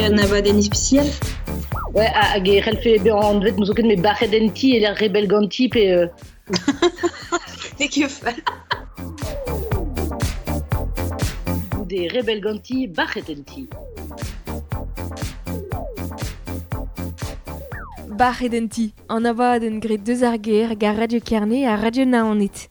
un abadenn ispisial. Ouais, hag e c'hellfe bezañ anvet n'ouzon ket met bac'het en ti e lec'h rebell ganti pe... N'eo ket fall. Goude rebell ganti, bac'het en ti. Bac'het en ti, an abadenn graet deus ar gêr gant Radio Kerne ha Radio Naoned.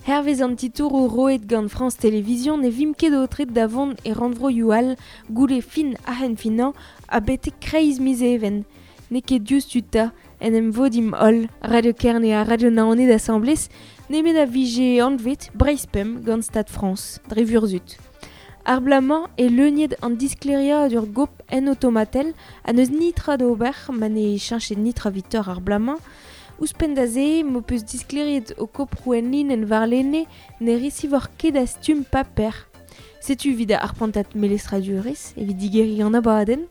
Hervez an titouroù roet gant France Télévisions ne vimp ket aotret da vont e rannvroioù all goude fin a-henn-finañ ha betek kreiz miz Even. N'eo ket diouzhtu 'ta en em vodimp holl, Radio Kerne ha Radio Naoned asambles, nemet a vije anvet Breizh Pemp gant Stad Frañs, dre vurzhud. Ar bloaz-mañ e leuniet an disklêriadur gop en otomatel ha n'eus nitra d'ober ma ne cheñchet nitra 'vitoc'h ar bloaz-mañ. Ouzhpenn da se, m'ho peus disklêriet ho koproù enlinenn warlene ne resivoc'h ket a stumm paper. Setu evit ar prantad melestradurezh, evit digeriñ an abadenn.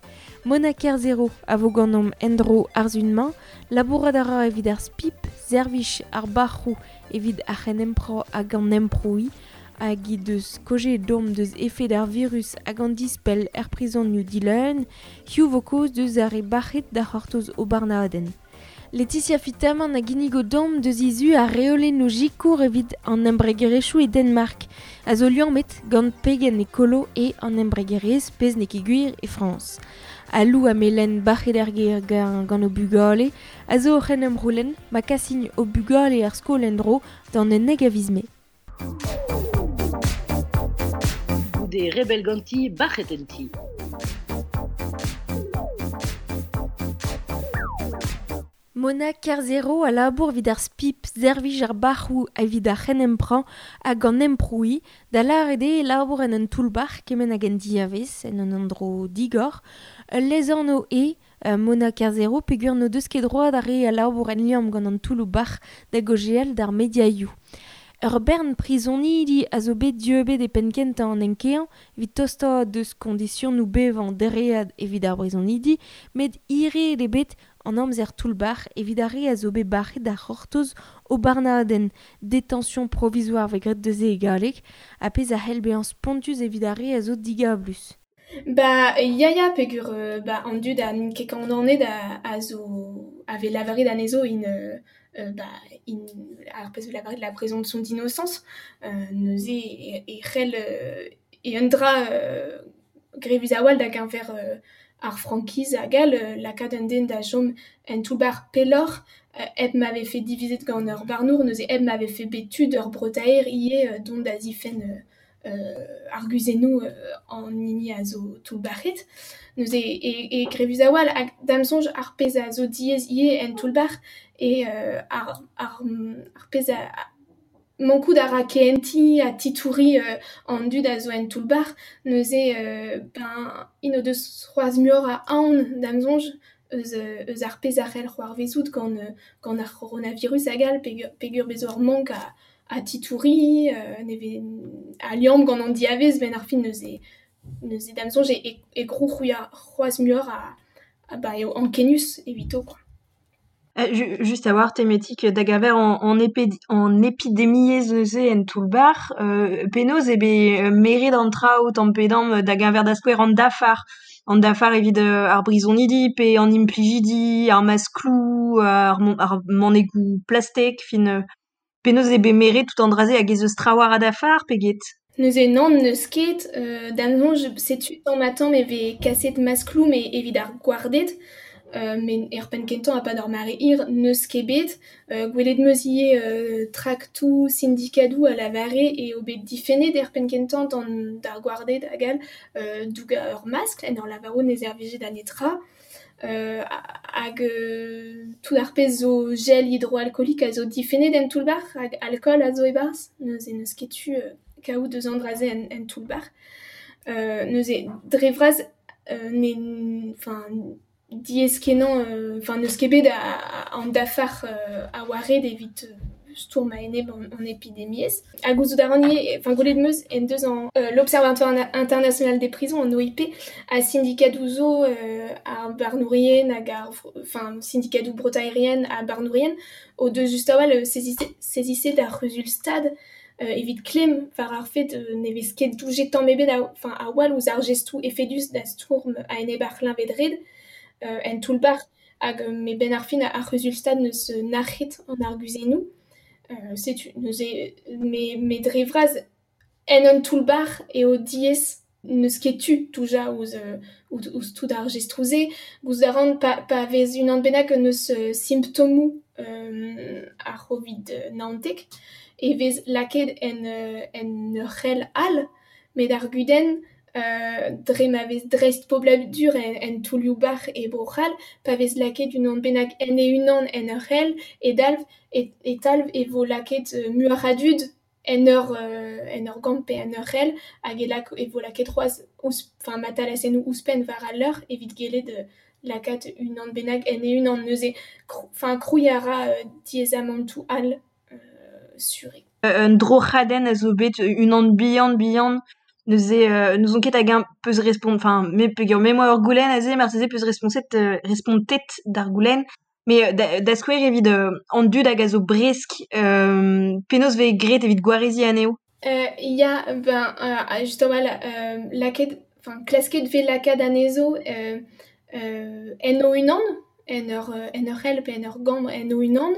Mona Kerzero a vo ganeomp en-dro ar sun-mañ. Labourat a ra evit ar SPIP, servij ar bac'hoù evit ar c'henemprañ hag an emprouiñ, hag he deus kaozeet deomp deus efed ar virus hag an dispell er prizonioù dileun. Hiziv 'vo kaoz deus ar re bac'het da c'hortoz o barnadenn. Laetitia Fitamant a ginnigo deomp deus he zu ar reolennoù sikour evit an embregerezhioù e Danmark, a zo liammet gant pegen ekolo eo an embregerezh pezh n'eo ket gwir e Frañs. Ha Lou ha Melen bac'het er gêr gant o bugale a zo oc'h en em c'houlenn ma kasin o bugale er skol en-dro d'an 11 a viz Mae. Goude rebell ganti, bac'het en ti. Mona Kerzero a labour evit ar SPIP, servij ar bac'hoù evit ar c'henemprañ hag an emprouiñ, da lâret eo e labour en un toull-bac'h kement hag en diavez, en un endro digor. Ul lesanv eo Mona Kerzero peogwir n'o deus ket droad ar re a labour en liamm gant an toulloù-bac'h da gaozeal d'ar mediaioù. Ur bern prizonidi a zo bet dieubet e penn-kentañ an enkeañ evit tostaat deus koñdisionoù bevañ dereat evit ar brizonidi, met hiraet eo bet an amzer toull-bac'h evit ar re a zo bet bac'het da c'hortoz o barnadenn détention provisoire 'vez graet deus e galleg, ha pezh a c'hell bezañ spontus evit ar re a zo digablus. Ba ya ya peogwir ba an dud a n'int ket kondaonet a zo a vez lavaret anezho int ba int ar pezh 'vez lavaret la présomption d'innocence neuze e c'hell e un dra grevus a-walc'h da geñver ar frankiz hag all lakaat un den da chom en toull-bac'h pelloc'h hep ma vefe divizet gant ur barnour neuze hep ma vefe bet tu d'ur breutaer ivez dont da zifenn arguzennoù an hini a zo toullbac'het. Neuze e grevus a-walc'h hag da'm soñj ar pezh a zo diaes ivez en toull-bac'h eo ar pezh a mankout a ra kehentiñ ha titouriñ an dud a zo en toull-bac'h. Neuze ben int o deus c'hoazh muioc'h a aon da'm soñj eus ar pezh a c'hell c'hoarvezout gant ar c'horonavirus hag all peogwir bez' zo ur mank a titouriñ ne vez a liamm gant an diavez 'benn ar fin neuze neuze da'm soñj e krou c'hoazh muioc'h a ba eo ankenius evito kwa. Just a-walc'h tematik da geñver an epidemiezh neuze en toull-bac'h penaos eo bet meret an traoù tamm-pe-damm da geñver da skouer an dafar. An dafar evit ar brizonidi pe an implijidi, ar maskloù, ar manegoù plastek, fin penaos eo bet meret tout an dra-se hag ez eus trawalc'h a dafar pe get? Neuze nann n'eus ket, da'm soñj setu tamm-ha-tamm e vez kaset maskloù met evit ar gwarded, met er penn-kentañ a-pad ur mare hir n'eus ket bet. Gwelet 'm eus ivez traktoù sindikadoù a lavare eo bet difennet er penn-kentañ d'ar gwarded hag all dougañ ur maskl en ur lavarout ne servije da netra. Hag tout ar pezh zo gel hidroalkoolik a zo difennet en toull-bac'h hag alkool a zo e-barzh. Neuze n'eus ket tu kaout eus an dra-se en toull-bac'h. Neuze dre vras enfin diaes-kenañ, enfin n'eus ket bet an dafar a oa ret evit stourm a-enep an epidemiezh. Ha gouzout a ran ivez, enfin gwelet 'm eus en deus an l'Observatoire international des prisons, an OIP, ha sindikadoù zo ar barnourien hag ar enfin sindikadoù breutaerien ha barnourien o deus just a-walc'h saisisset ar c'huzul-stad Evit klemm war ar fed ne vez ket doujet tamm ebet enfin a-walc'h ouzh ar gestoù efedus da stourm a-enep ar c'hleñved-red en toull-bac'h hag met 'benn ar fin ar c'huzul-stad n'eus nac'het an arguzennoù. Setu neuze met dre vras en un toull-bac'h eo diaes n'eus ket tu doujañ ouzh tout ar jestroù-se. Gouzout a ran pa vez unan bennak n'eus simptomoù ar c'hovid 19 e vez lakaet en ur c'hell all, met ar gudenn dre ma vez dreistpobladur en toullioù-bac'h e Bro-C'hall, pa vez lakaet unan bennak en e-unan en ur c'hell, e talv e vo lakaet muioc'h a dud en ur gambr pe en ur c'hell, hag e vo lakaet c'hoazh enfin matalasennoù ouzhpenn war al leur evit gellet lakaat unan bennak en e-unan. Neuze, enfin krouiñ a ra diaezamantoù all sur eo. Un droc'hadenn a zo bet unan bihan-bihan neuze n'ouzon ket hag-eñ peus respont enfin me peogwir me 'moa ur goulenn aze marteze peus respontet d'ar goulenn met da skouer evit an dud hag a zo bresk penaos 'vez graet evit gwareziñ anezho? Ya, ben just a-walc'h lakaet enfin klasket 'vez lakaat anezho en o-unan, en ur c'hell pe en ur gambr en o-unan,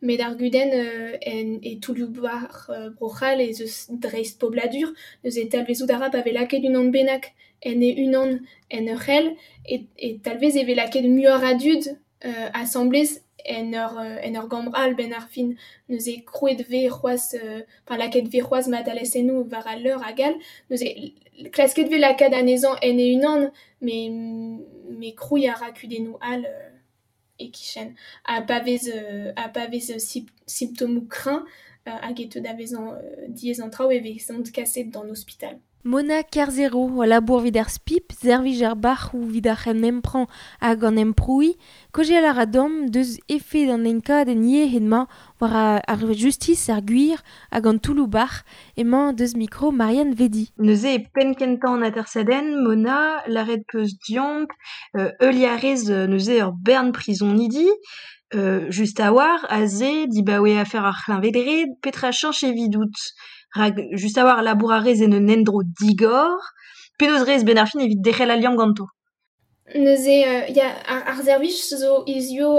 met ar gudenn e toullioù-bac'h Bro-C'hall ez eus dreistpobladur, neuze talvezout a ra pa vez lakaet unan bennak en e-unan en ur c'hell, e talvez e vez lakaet muioc'h a dud asambles en ur gambr all 'benn ar fin. Neuze krouet 'vez c'hoazh, enfin lakaet 'vez c'hoazh matalasennoù war al leur hag all. Neuze klasket 'vez lakaat anezhañ en e-unan, met krouiñ a ra kudennoù all e-kichen. Ha pa vez simptomoù kreñv hag e teu da vezañ diaes an traoù e vezont kaset d'an ospital. Mona Kerzero, labour evit ar SPIP, servij ar bac'hoù evit ar c'henempran hag an emprouiñ, kaozeal a ra deomp deus efed an enkadenn yec'hed-mañ war ar justis, ar gwir hag an toulloù-bac'h emañ deus mikro Marianne Vedi. Neuze e penn kentañ an atersadenn, Mona, lâret peus deomp, heuliañ a rez neuze ur bern prizonidi, just a-walc'h, aze, dibaoe afer ar c'hleñved-red, petra cheñch evidout? Rak just a-walc'h labour a rez en un endro digor, penaos rez 'benn ar fin evit derc'hel al liamm ganto? Neuze ya, ar servij zo hizio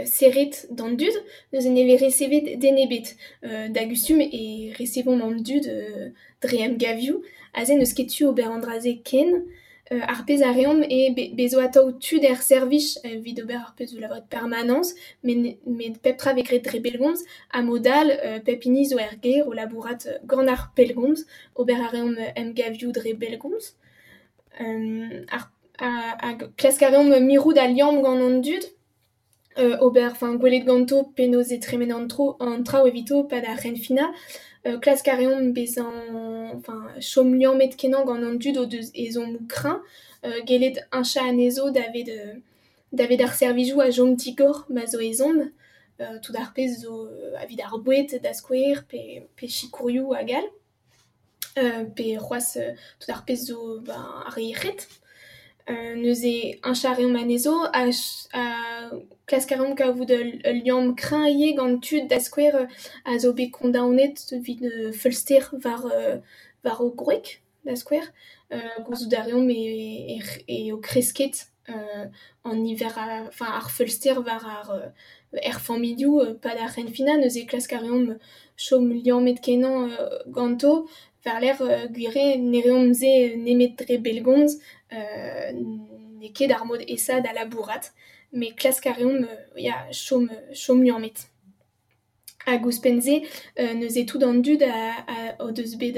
serret d'an dud, neuze ne vez resevet den ebet. Da gustum e resevomp an dud dre emgavioù, aze n'eus ket tu ober an dra-se ken. Ar pezh a reomp eo bezo atav tud er servij evit ober ar pezh zo lavaret permanence, met pep tra vez graet dre bellgomz, ha mod all pep hini zo er gêr o labourat gant ar pellgomz, ober a reomp emgavioù dre bellgomz. Hag klask a reomp mirout al liamm gant an dud, ober, enfin gwelet ganto penaos e tremen an traoù evito pad ar c'henfinañ. Klask a reomp bezañ, enfin chom liammet kenañ gant an dud o deus ezhommoù kreñv, gellet heñchañ anezho davet ar servijoù a chom digor ma zo ezhomm, tout ar pezh zo evit ar boued da skouer pe sikourioù hag all, pe c'hoazh tout ar pezh zo ben ar yec'hed. Neuze heñchañ a reomp anezho ha klask a reomp kavout ul liamm kreñv ivez gant tud da skouer a zo bet kondaonet evit feulster war o gwreg da skouer. Gouzout a reomp eo kresket an niver enfin ar feulster war ar er familhoù pad ar c'henfinañ, neuze klask a reomp chom liammet kenañ ganto war-lerc'h gwir eo ne reomp se nemet dre bellgomz, n'eo ket ar mod aesañ da labourat, met klask a reomp ya chom liammet. Hag ouzhpenn-se, neuze tout an dud o deus bet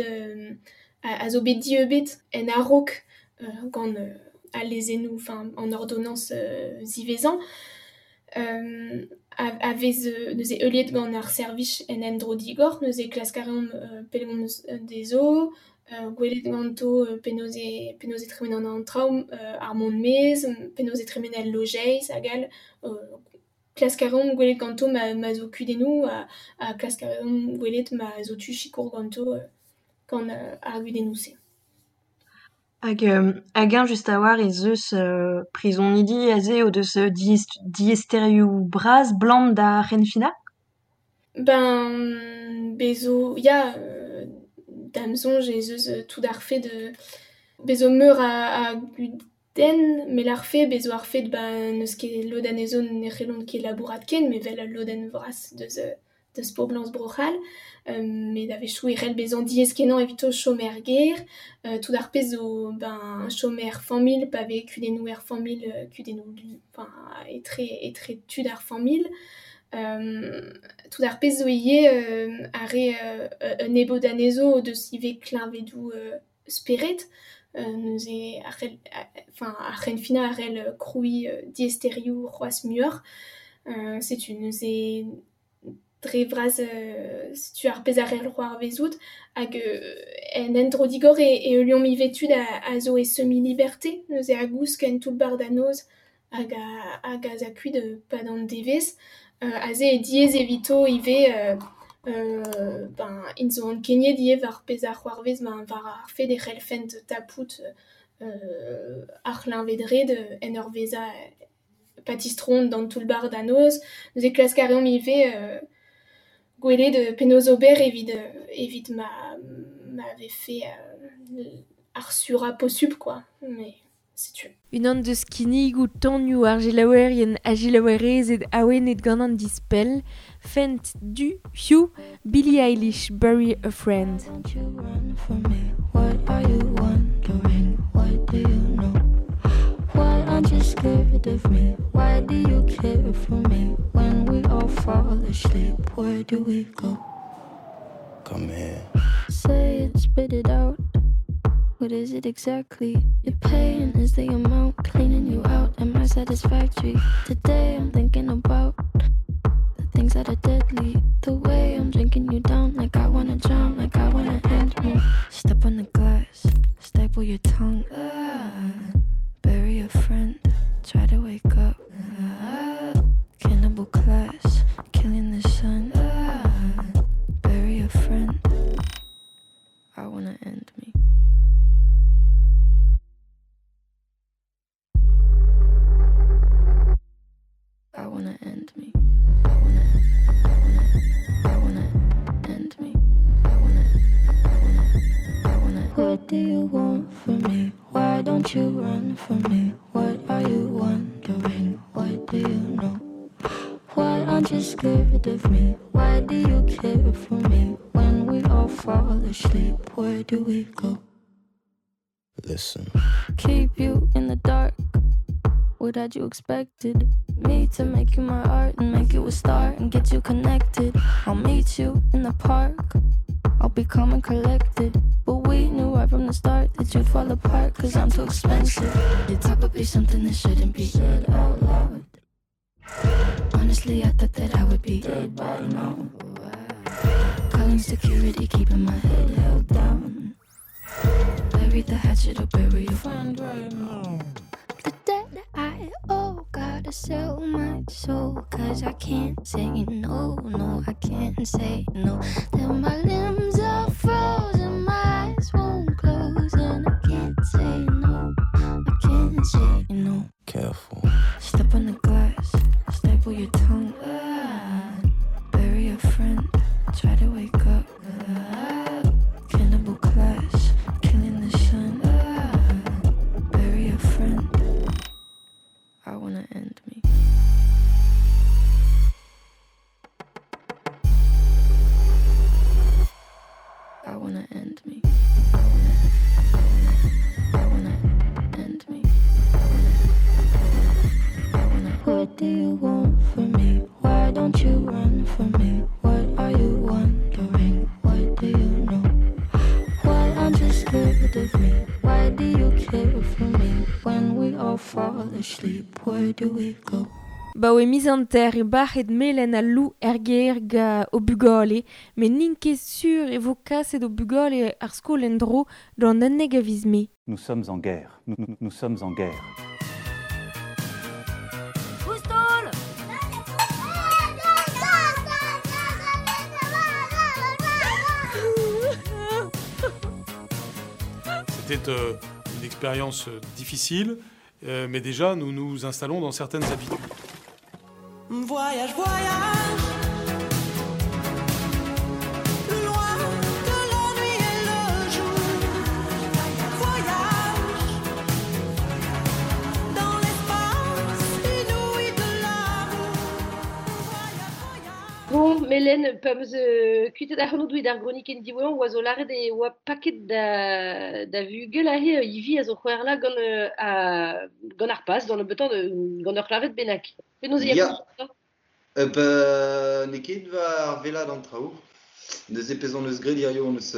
a zo bet dieubet en a-raok gant al lezennoù, enfin an ordonans ziwezhañ, a vez neuze heuliet gant ar servij en endro digor, neuze klask a reomp pellgomz dezho, gwelet ganto penaos e tremen an traoù, ar mont-maez, penaos e tremen al lojeiz hag all. Klask a reomp gwelet ganto ma zo kudennoù ha klask a reomp gwelet ma zo tu sikour ganto gant ar gudennoù-se. Hag hag-eñ just a-walc'h ez eus prizonidi aze o deus diaesterioù bras 'blam d'ar c'henfinañ? Ben bezo ya da'm soñj ez eus tout ar fed bezo meur a gudenn met ar fed bezo ar fed ben n'eus ket lod anezho ne c'hellont ket labourat ken met 'vel ul lodenn vras deus poblañs Bro-C'hall met a-wechoù e c'hell bezañ diaes-kenañ evito chom er gêr tout ar pezh zo ben chom er familh pa vez kudennoù er familh kudennoù enfin etre tud ar familh tout ar pezh zo ivez ar re un nebeud anezho o deus ivez kleñvedoù spered neuze a c'hell enfin ar c'henfinañ a c'hell krouiñ diaesterioù c'hoazh muioc'h setu neuze dre vras setu ar pezh a c'hell c'hoarvezout hag en endro digor e heuliomp ivez tud a zo e semi-liberté neuze a gousk en toull-bac'h da noz hag a za kuit 'pad an devezh aze eo diaes evito ivez ben int zo ankeniet ivez war pezh a c'hoarvez war ar fed e c'hellfent tapout ar c'hleñved-red en ur vezañ pa tistroont d'an toull-bac'h da noz. Neuze klask a reomp ivez gwelet penaos ober evit ma vefe ar surañ posupl quoi, mais setu. Unan deus kinnigoù tonioù ar selaouerien ha selaouerezed awenet gant an dispell, Fent du Hugh, Billie Eilish, Bury a Friend. Don't you run from me? What are you wondering? What do you know? Why aren't you scared of me? Why do you care for me? When we all fall asleep, where do we go? Come here. Say it, spit it out. What is it exactly? Your pain is the amount cleaning you out. Am I satisfactory? Today I'm thinking about the things that are deadly. The way I'm drinking you down, like I wanna drown, like I wanna end me. Step on the glass, staple your tongue. Bury a friend, try to wake up. Cannibal class, killing the sun. Bury a friend, I wanna end me. I wanna end me. I wanna end me. I wanna. What do you want from me? Why don't you run from me? What are you wondering? What do you know? Why aren't you scared of me? Why do you care for me? When we all fall asleep, where do we go? Listen. Keep you in the dark. What had you expected? Me to make you my art and make you a star and get you connected. I'll meet you in the park. I'll be calm and collected. But we knew right from the start that you'd fall apart, cause I'm too expensive. You'd probably something that shouldn't be said out loud. Honestly, I thought that I would be dead by now. Calling security, keeping my head held down. Bury the hatchet or bury your friend right now. The debt I owe, gotta sell my soul, cause I can't say no, no, I can't say no. Then my limbs are frozen, my eyes won't close, and I can't say no, I can't say no. Careful. Step on the glass, staple your tongue. Bury a friend, try to wake up. Cannibal class, killing the sun. Bury a friend. I wanna end me. I wanna end me. I wanna end me. I wanna. What do you want from me? Why don't you run from me? What are you wondering? What do you know? Why aren't you scared of me? Why do you care for me? When we all fall asleep, where do we go? Ba oe miz an ter e bac'het melen al lou er gêr ga o bugale, met n'int ket sur e vo kaset o bugale ar skol en-dro d'an unnek a viz Mae. Nous sommes en guerre. Nous sommes en guerre. C'était une expérience difficile, mais déjà nous nous installons dans certaines habitudes. Voyage, voyage, Bon, Melen, pa meus kuitet ac'hanout evit ar gronikenn diwezhañ oa zo lâret e oa paket da vugel aze Ivi a zo c'hwerla gant, gant ar pas, d'an nebeutañ gant ur c'hleñved bennak. Penaos e ya Ya. Ba, n'eo ket war wellaat an traoù. Neuze pezh hon eus graet hiziv hon eus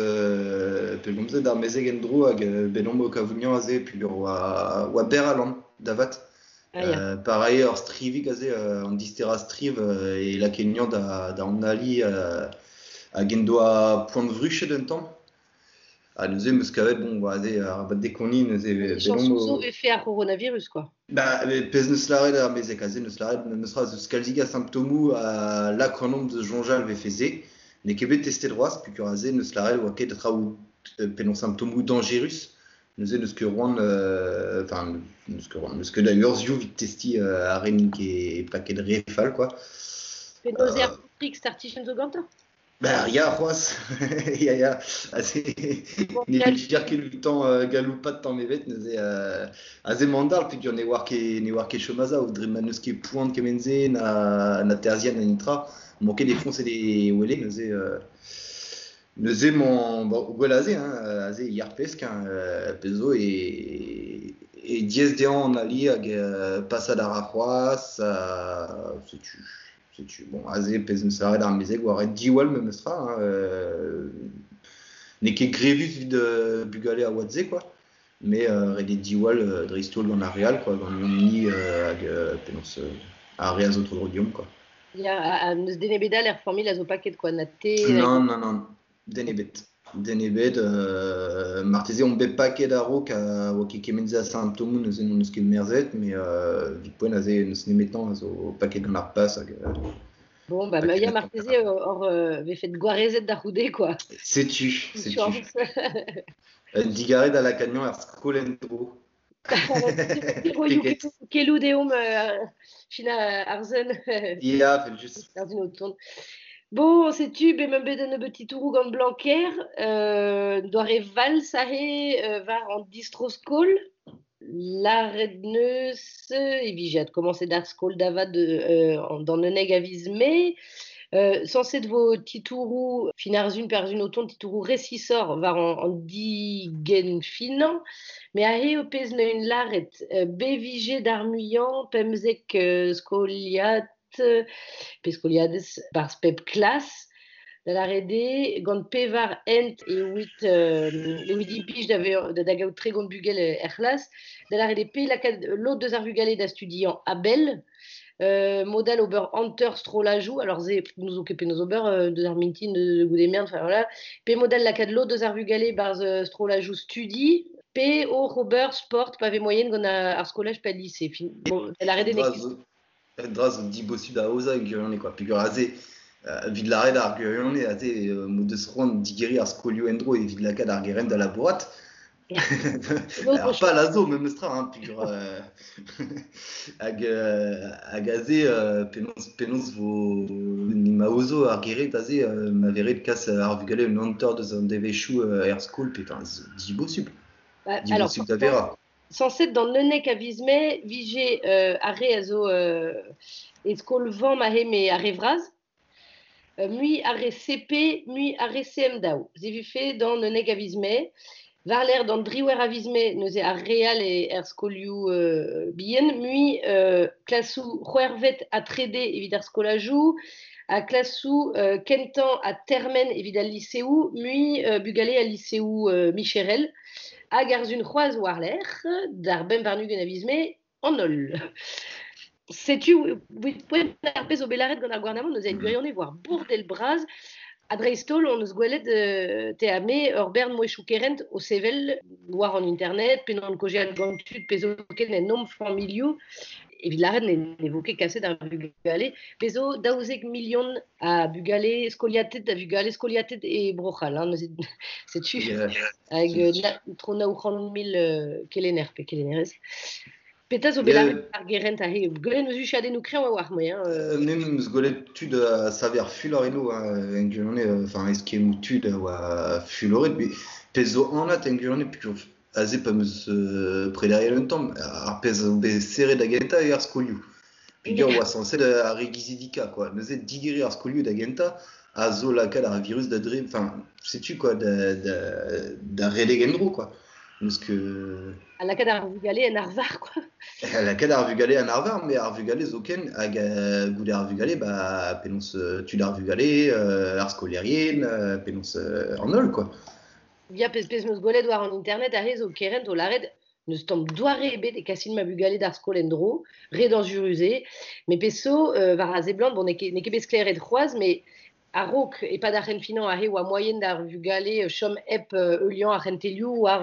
pellgomzet d'ar mezeg en-dro hag bet omp o kavout aze peogwir oa berr alan da vat. Ah ya. Pa rae ur strivig aze, an disterañ striv e lakae anezhañ da analiñ hag en doa poan vruched un tamm. Ha neuze 'm eus kavet bon aze arabat dekoniñ neuze bet omp o... zo vefe ar c'horonavirus quoi. Ba, pezh 'neus lâret ar mezeg aze 'neus lâret memes tra eus kalzik a simptomoù a lak ac'hanomp da soñjal vefe se. N'eo ket bet testet c'hoazh peogwir aze 'neus lâret oa ket traoù penaos simptomoù dañjerus. Neuze n'eus ket c'hoant enfin n'eus ket c'hoant n'eus ket a urzhioù evit testiñ ar re n'int ket paket re fall quoi. Penaos eo ar paotrig startijenn zo gantañ? Bah ya c'hoazh ya ya aze ne vir ket outañ galoupat tamm ebet neuze aze emañ an peogwir ne oar ket chom a-sav dre ma n'eus ket poan kement-se na terzhienn na netra emañ ket e foñs e wele neuze neuze emañ bon gwell aze hein aze e yar pesk hein pezh zo e diaes dezhañ an ali hag pasat a ra c'hoazh setu. Setu, bon, aze pezh 'meus lâret ar mezeg oa ret diwall memes tra hein, n'eo ket grevus evit bugale a oad-se quoi, mais ret eo diwall dreist-holl gant ar re all quoi, gant ni hag penaos ar re a zo tro-dro deomp quoi. Ya, ha n'eus den ebet all er familh a zo paket quoi, na te... Non, non, non, den ebet. Den ebet, marteze omp bet paket a-raok ha oa ket kement-se a simptomoù neuze n'hon eus ket merzet, mais evit poent aze n'eus nemetañ a zo paket gant ar pas hag Bon, bah, paket ya gant marteze hor vefet gwarezet da c'houde quoi. Setu, setu. Un digarez da lakaat er skol en-dro. Roioù keloù deomp China Arzen. Ya, evel-just. Arzun o tont. Bon, setu, bet meump bet un nebeud titouroù gant Blanquer, doare vals aze war an distro-skol. Lâret 'neus e vije adkomañset ar skol da vat d'an 11 a viz Mae. Sañset 'vo titouroù fin ar sun pe ar sun o tont titouroù resisoc'h war an digenfinañ. Met aze eo pezh 'neuint lâret. Bet 'vije d'ar muiañ 15 skoliad pe skoliadez 'barzh pep klas. Da lâret eo gant pevar hent evit implij da gaout 30 bugel er c'hlas. Da lâret eo pe lakaat lod deus ar vugale da studiañ a-bell, mod all ober hanter strollajoù, alors se n'ouzon ket penaos ober deus ar mintin goude mern, enfin voilà. Pe mod all lakaat lod deus ar vugale 'barzh strollajoù studi, pe oc'h ober sport pa vez moaien gant ar skolaj pe al lise. Fin, bon, da lâret eo n'eo ket Un dra zo dibosupl da aozañ e gwirionez quoi. Peogwir aze, evit lâret ar gwirionez, aze m'o deus c'hoant digeriñ ar skolioù en-dro evit lakaat ar gerent da labourat. Ar pal a zo memes tra, hein, peogwir hag aze penaos vo ma aozo ar gerent aze ma vez ret kas ar vugale un hanter deus an devezhioù er skol, pe enfin, dibosupl. Bah, alors, Dibosupl da verañ. Sañset d'an 11 a viz Mae 'vije ar re a zo e skol-vamm aze met ar re vras, mui ar re CP, mui ar re CM2. Se 'vefe d'an 11 a viz Mae. War-lerc'h d'an driwec'h a viz Mae neuze ar re all er skolioù bihan, mui klasoù c'hwec'hvet ha trede evit ar skolajoù, ha klasoù kentañ ha termen evit al liseoù, mui bugale al liseoù micherel. Hag ar sun c'hoazh war-lerc'h, d'ar 25 a viz Mae, an holl. Setu, evit poent ar pezh zo bet lâret gant ar gouarnamant, neuze gwirionez war bourdel bras, ha dreist-holl hon eus gwelet te ha me ur bern mouezhioù kerent o sevel war an internet, pe n'on kaozeal gant tud, pe zoken en hom familhoù, evit lâret ne vo ket kaset ar vugale. Bez zo 12 milion a bugale skoliated a vugale skoliated e Bro-C'hall. Hein, neuze, setu hag tro 900 000 kelenner pe kelennerez. Petra zo bet lâret ar gerent aze? Gwelet 'meus huchadennoù kreñv a-walc'h moi. Hein, Me 'meus gwelet tud a save ar fulor eno, hein, en gwirionez, enfin eskemmoù tud a oa fuloret, met pezh zo anat en gwirionez peogwir aze pa 'meus prederiet un tamm, ar pezh zo bet serret da gentañ eo ar skolioù. Peogwir oa sañset ar re gizidikañ quoi. Neuze digeriñ ar skolioù da gentañ a zo lakaat ar virus da dre... Enfin, setu quoi, da redek en-dro quoi. N'eus ket... Ha lakaat ar vugale en arvar quoi. Lakaat ar vugale en arvar, met ar vugale zoken, hag goude ar vugale, ba, penaos tud ar vugale, ar skolaerien, penaos an holl quoi. Ya, pezh 'meus gwelet war an internet aze zo kerent o lâret n'eus tamm doare ebet e kasin ma bugale d'ar skol en-dro, re dañjerus eo, met pezh zo, war a seblant, bon, n'eo ket bet sklaeret c'hoazh, met a-raok e-pad ar c'henfinañ aze oa moaien d'ar vugale chom hep heuliañ ar c'hentelioù war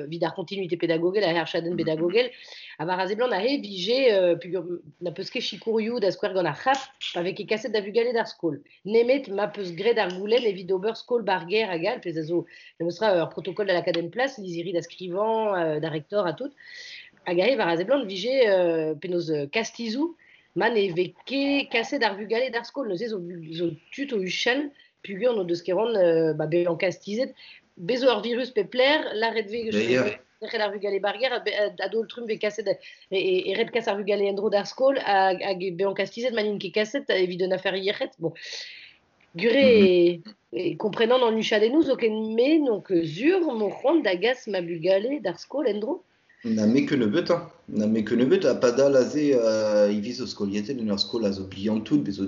evit ar continuité pedagogel hag ar chadenn pedagogel. Ha war a seblant aze vije peogwir na peus ket sikourioù da skouer gant ar c'hap pa vez ket kaset da vugale d'ar skol. Nemet ma peus graet ar goulenn evit ober skol bar gêr hag all, pezh a zo memes tra ur protokol da lakaat en plas, lizhiri da skrivañ, da rektor ha tout. Hag aze war a seblant vije penaos kastizoù ma ne vez ket kaset ar vugale d'ar skol, neuze zo tud o huchal peogwir n'o deus ket c'hoant ba bezañ kastizet. Bez zo ur virus pep lec'h, lâret vez derc'hel ar vugale bar gêr, a-daol-trumm vez kaset e ret kas ar vugale en-dro d'ar skol hag bezañ kastizet ma n'int ket kaset evit un afer yec'hed. Bon. Gure e komprenan an huchadennoù zoken me donc sur m'o c'hoant da gas ma bugale d'ar skol en-dro. Na me ket nebeut, hein. Na me ket nebeut, ha padal aze ivez zo skoliatet en ur skol a zo bihan tout, bez zo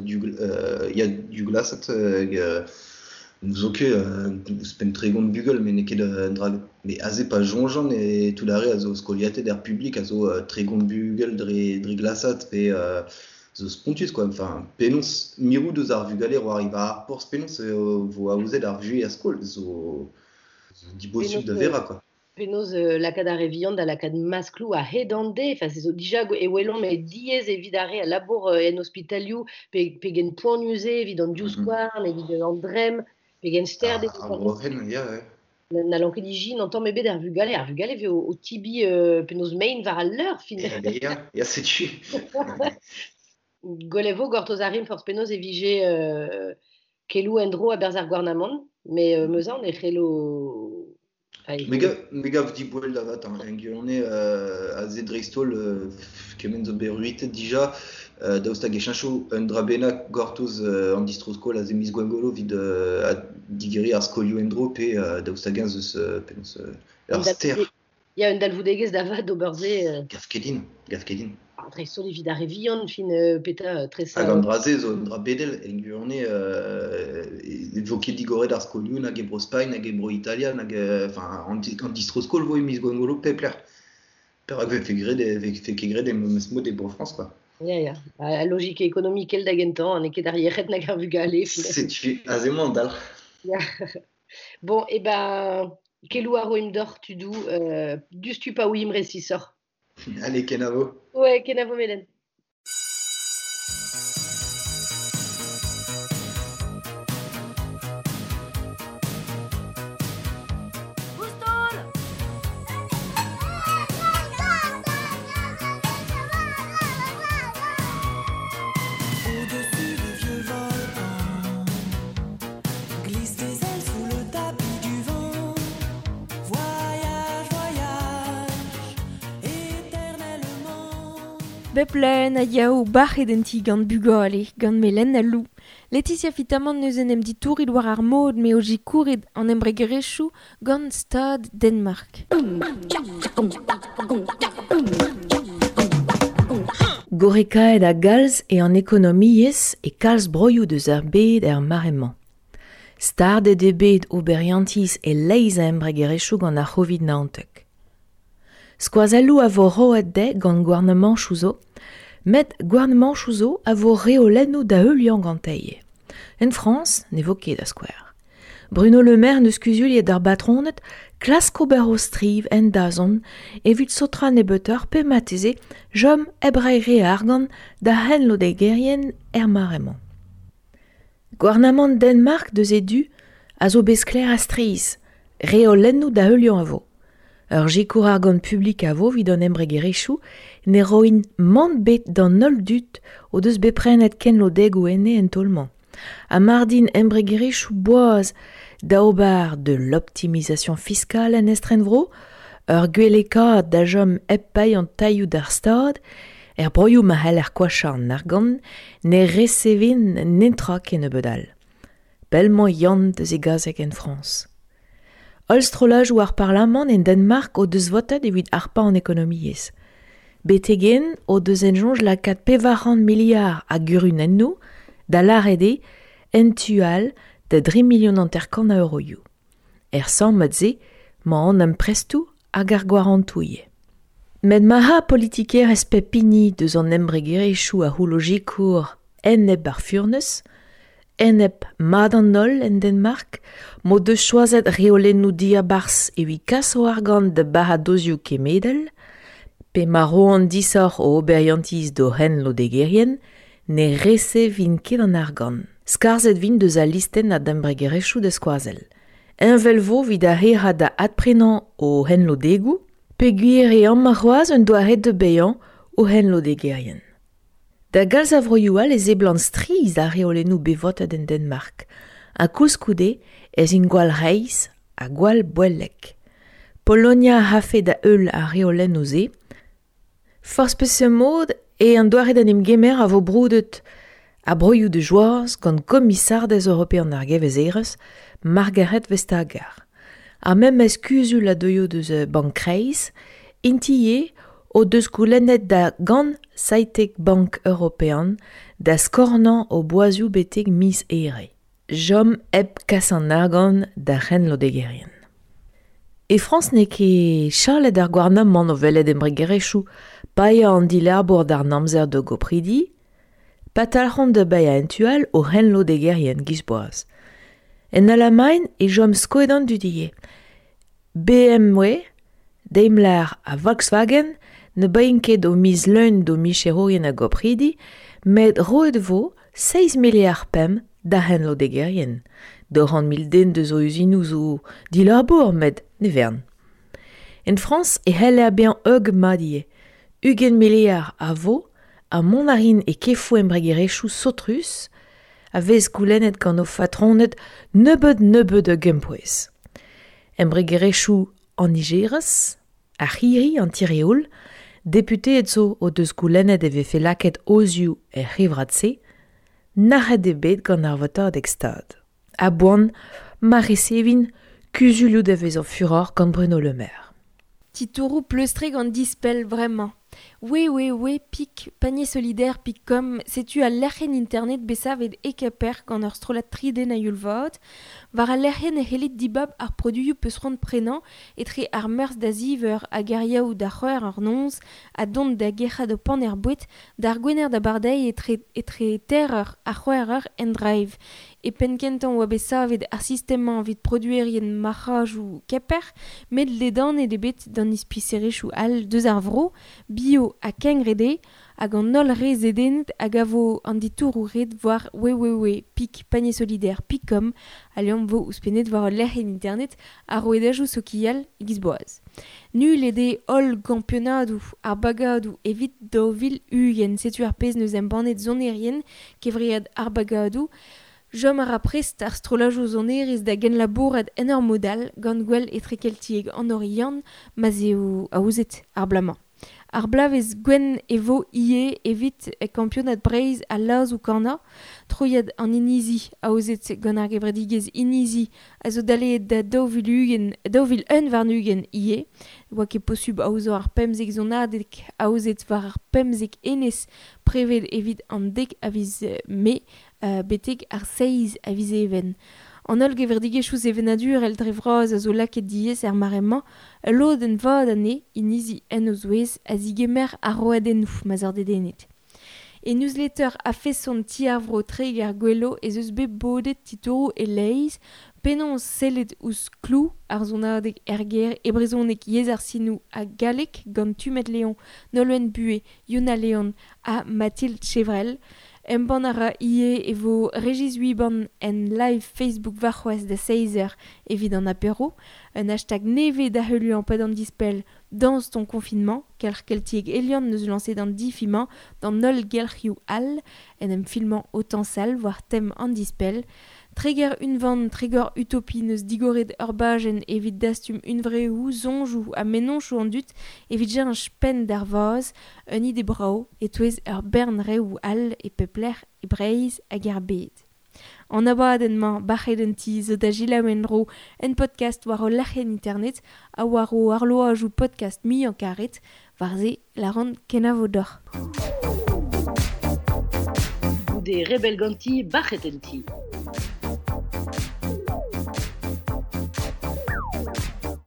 ya du glasat hag zo ket ouzhpenn 30 bugel, met n'eo ket un dra. Mais aze pa soñjan e tout ar re a zo skoliatet er publik a zo 30 bugel dre glasat pe zo spontus quoi. Enfin, penaos mirout deus ar vugale war war ar porzh penaos vo aozet ar vuhez er skol zo dibosupl da verañ quoi. Penaos lakaat ar re vihan da lakaat maskloù a-hed an deiz. Enfin, se zo dija e welomp e diaes evit ar re a labour en ospitalioù pegen poanius eo evit an divskouarn, evit an dremm, pegen stert eo. Ar broc'henn, ya, ouais. N'hallan ket ijin an tamm ebet ar vugale. Ar vugale vez o tibi penaos mein war al leur, fin. Ya, ya, setu. Gwell e vo gortoz ar rim forzh penaos e vije keloù en-dro a-berzh ar gouarnamant, met meus aon e c'hello... Me gav diboell da vat, hein, en gwirionez aze dreist-holl kement zo bet ruitet dija, daoust hag e cheñcho un dra bennak gortoz an distro-skol aze miz Gwengolo evit digeriñ ar skolioù en-dro pe daoust hag eñ eus penaos ur ster. Ya, un dalvoudegezh da vat d'ober se. Gav ket din, gav ket din. Dreist-holl evit ar re vihan, fin petra tresa... Hag an dra-se zo un dra bedel, en gwirionez e vo ket digoret ar skolioù nag e Bro-Spagn, nag e Bro-Italia, nag enfin, an distro-skol vo e miz Gwengolo pep lec'h. Perak vefe ket graet e memes mod e Bro-Frañs, quoi. Ya, ya. A logik ekonomikel da gentañ, n'eo ket ar yec'hed nag ar vugale. Setu, aze emañ an dalc'h. Ya. Bon, e ben, keloù a roimp deoc'h tudoù, diouzhtu pa ouiimp resisoc'h. Allez, kenavo. Ouais, kenavo Melen. Bep leun a yao bac'het en ti gant bugale, gant Melen ha Lou. Laetitia Fitamant neus en em ditourit war ar mod me o jikourit an embregerezhioù gant Stad Denmark. Gorekaet a galz e an ekonomiezh e kalz broioù deus ar bed er mare-mañ. Stardet eo bet oberiantiz e leizh a embregerezhioù gant ar C'hovid-19. Skoazelloù a vo roet dezhe gant gouarnamanchoù zo, met gouarnamanchoù zo a vo reolennoù da heuliañ gantei. En Frañs ne vo ket da skouer. Bruno Le Maire neus kuzuliet d'ar batroned klask ober o striv en dazont evit sotra nebeutoc'h pe mateze jom hep reiñ re argant da henlodegerien er mare-mañ. Gouarnamant Denmark deus e du a zo bet sklaer a-strizh, reolennoù da heuliañ a vo. Ur sikour argant publik a vo evit an embregerezhioù ne roint mann bet d'an holl dud o deus bet prenet kenlodegoù enne en taol-mañ. Ha mardin embregerezhioù boaz da ober de l'optimisation fiscale en estrenvro, ur gwellekaat da chom hep paeañ an tailhoù d'ar Stad, Er broioù ma c'heller koachañ an argant ne resevin netra kennebeut all. Pell-mañ Yann deus e gazeg en Frañs. Holl strollajoù ar parlamant en Danmark o deus votet evit harpañ an ekonomiezh. Betek-henn o deus en soñj lakaat 400 miliard a gurunennoù da lâret eo en tu all da 3 milion 50 a euroioù. Er sammad-se 'mañ an amprestoù hag ar gwarantoù ivez. Met ma ra politikerezh pep hini deus an embregerezhioù a c'houllo sikour enep ar furnez, enep mat an holl en Danmark, m'o deus choazet reolennoù diabarzh evit kas o argant da baradozioù kemedel, pe ma roont disoc'h o oberiantiz d'o c'henlodegerien, ne resevint ket an argant. Skarzhet 'vint deus al listenn a d'embregerezhioù da skoazell. Heñvel 'vo 'vit ar re 'ra da adprenañ o c'henlodegoù, peogwir eo amañ c'hoazh un doare da baeañ o c'henlodegerien. Da galz a vroioù all e seblant strizh ar reolennoù bet votet en Danmark, ha koulskoude ez int gwall reizh ha gwall boellek. Polonia a rafe da heul ar reolennoù-se. Forzh peseurt mod eo an doare d'en em gemer a vo broudet ha broioù da joaz gant komisardez european ar gevezerezh Margaret Vestager. Ar memes kuzul a deuio deus Bank Kreiz, int ivez o deus goulennet da gant seitek bank european da skornañ o boazioù betek miz Here. Chom hep kas an argant d'ar c'henlodegerien. E Frañs n'eo ket chalet ar gouarnamant o welet embregerezhioù paeañ an dilabour d'ar amzer d'o gopridi, pa talc'hont da baeañ en tu all o c'henlodegerien giz boaz. En Alamagn e chom skoet an dud ivez. BMW, Daimler ha Volkswagen ne baeint ket o miz leun d'o micherourien a gopridi, met roet 'vo 7 miliard 5 d'ar c'henlodegerien. 200 000 den deus o uzinoù zo dilabour met ne vern. En Frañs e c'heller bezañ heug mat ivez. 20 miliard a vo ha mont a rin e kefoù embregerezhioù saotrus a vez goulennet gant o fatroned nebeut-nebeut a gempouez. Embregerezhioù an nijerez, ar c'hirri, an tireoul, deputeed zo o deus goulennet e vefe lakaet ozioù er c'hevrad-se, nac'het eo bet gant ar votadeg Stad. A-boan ma resevin kuzulioù da vezañ furoc'h gant Bruno Le Maire. Titouroù pleustrek an dispell bremañ. www pik panier-solidaire pik com setu al lec'hienn internet bet savet e Kemper gant ur strollad tri den a-youl vat. War al lec'hienn e c'hellit dibab ar produioù peus c'hoant prenañ etre ar meurzh da ziv eur hag ar yaou da c'hwec'h eur noz ha dont da gerc'hat ho paner boued d'ar gwener d'abardaez etre etre teir eur ha c'hwec'h eur en drive. E penn-kentañ oa bet savet ar sistem-mañ evit produerien marc'hajoù Kemper met ledanet eo bet d'an ispiserezhioù all deus ar vro, bio ha kengred eo, hag an holl re zedennet a gavo an ditouroù ret war www.pik-panier-solidaire.com ha liamm 'vo ouzhpennet war ul lec'hienn internet ar rouedajoù sokial e-giz boaz. Nullet eo holl gampionadoù ar bagadoù evit 2020 setu ar pezh 'neus embannet sonerien kevread ar bagadoù. Chom a ra prest ar strollajoù sonerezh da genlabourat en ur mod all gant Gouel Etrekeltiek an Oriant ma'z eo aozet ar bloaz-mañ. Ar bloavezh gwenn e vo ivez evit kampionad Breizh al lazoù-kanañ. Troiad an inizi aozet gant ar gevredigezh Inizi a zo daleet da 2020, 2021 ivez. Oa ket posubl aozañ ar 15 sonadeg aozet war ar 15 enez preved evit an 10 a viz Mae betek ar 7 a viz Even. An holl gevredigezhioù sevenadurel dre vras a zo lakaet diaes er mare-mañ, ul lodenn vat anezhe, inizi en o zouez, a zigemer ar roadennoù ma'z eur dedennet. E newsletter a-feson Ti ar Vro Treger-Gwelo ez eus bet bodet titouroù e-leizh, penaos sellet ouzh klou ar sonadeg er gêr e brezhoneg yezh ar sinoù ha galleg gant Tumed Leon, Nolwenn Buhé, Yuna Leon ha Mathilde Chevrel. Embann a ra ivez e vo Régis Huiban en live Facebook warc'hoazh da seizh eur evit an apero. Un hashtag nevez da heuliañ pad an dispell Danse ton confinement, kelc'h keltiek Eliant 'neus lañset an difi-mañ d'an holl gelc'hioù all en em filmañ o tañsal war tem an dispell. Treger unvan, treger utopi neus digoret ur bajenn evit dastum unvreoù, soñjoù ha mennozhioù an dud evit cheñch penn d'ar vazh, un ide brav e-touez ur bern reoù all e pep lec'h e Breizh hag er bed. An abadenn-mañ bac'het en ti zo da selaou en-dro en podcast war o lec'hienn internet ha war o arloajoù podcast muiañ karet, war-se lâran kenavo deoc'h. Goude rebell ganti, bac'het en ti.